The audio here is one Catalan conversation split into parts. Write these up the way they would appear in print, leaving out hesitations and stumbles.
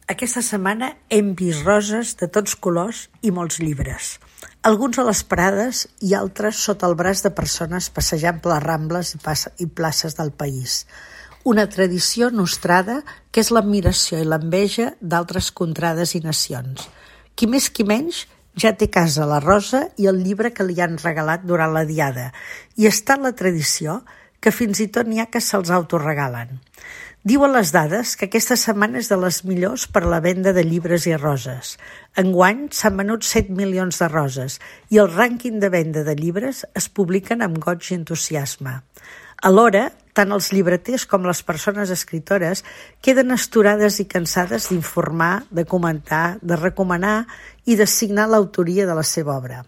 Aquesta setmana hem vist roses de tots colors i molts llibres. Alguns a les parades i altres sota el braç de persones passejant per les rambles i places del país. Una tradició nostrada que és l'admiració i l'enveja d'altres contrades i nacions. Qui més qui menys ja té a casa la rosa i el llibre que li han regalat durant la diada, i està en la tradició que fins i tot n'hi ha que se'ls autoregalen. Diuen les dades que aquesta setmana és de les millors per a la venda de llibres i roses. Enguany s'han venut 7 milions de roses i el rànquing de venda de llibres es publiquen amb goig i entusiasme. Alhora, tant els llibreters com les persones escritores queden astorades i cansades d'informar, de comentar, de recomanar i de signar l'autoria de la seva obra.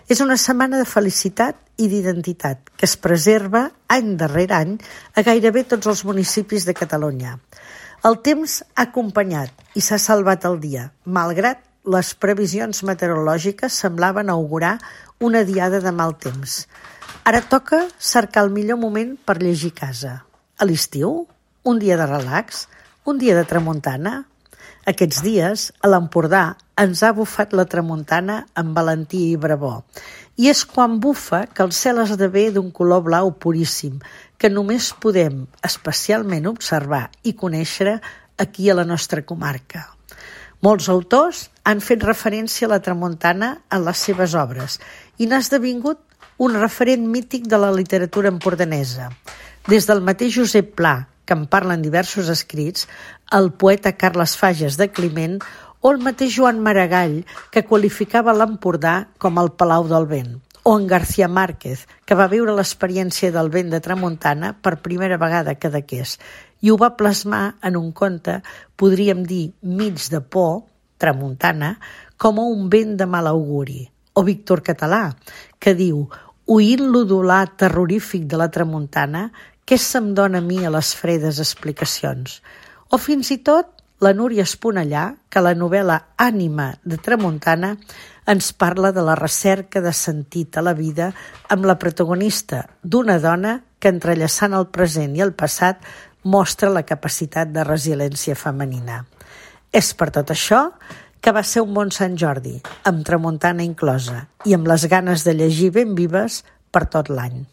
És una setmana de felicitat i d'identitat que es preserva any darrere any a gairebé tots els municipis de Catalunya. El temps ha acompanyat i s'ha salvat el dia, malgrat les previsions meteorològiques semblaven augurar una diada de mal temps. Ara toca cercar el millor moment per llegir a casa. A l'estiu? Un dia de relax? Un dia de tramuntana? Aquests dies, a l'Empordà, ens ha bufat la tramuntana amb valentia i bravor. I és quan bufa que el cel esdevé d'un color blau puríssim, que només podem especialment observar i conèixer aquí a la nostra comarca. Molts autors han fet referència a la tramuntana en les seves obres i n'ha esdevingut un referent mític de la literatura empordanesa. Des del mateix Josep Pla, que en parlen diversos escrits, el poeta Carles Fages de Climent o el mateix Joan Maragall, que qualificava l'Empordà com el Palau del Vent, o en García Márquez, que va viure l'experiència del vent de tramuntana per primera vegada a Cadaqués i ho va plasmar en un conte, podríem dir mig de por, tramuntana, com un vent de mal auguri. O Víctor Català, que diu: oint l'udolar terrorífic de la tramuntana, què se'm dona a mi a les fredes explicacions? O fins i tot la Núria Esponellà, que a la novel·la Ànima de Tramuntana ens parla de la recerca de sentit a la vida amb la protagonista d'una dona que, entrellaçant el present i el passat, mostra la capacitat de resiliència femenina. És per tot això que va ser un bon Sant Jordi, amb tramuntana inclosa, i amb les ganes de llegir ben vives per tot l'any.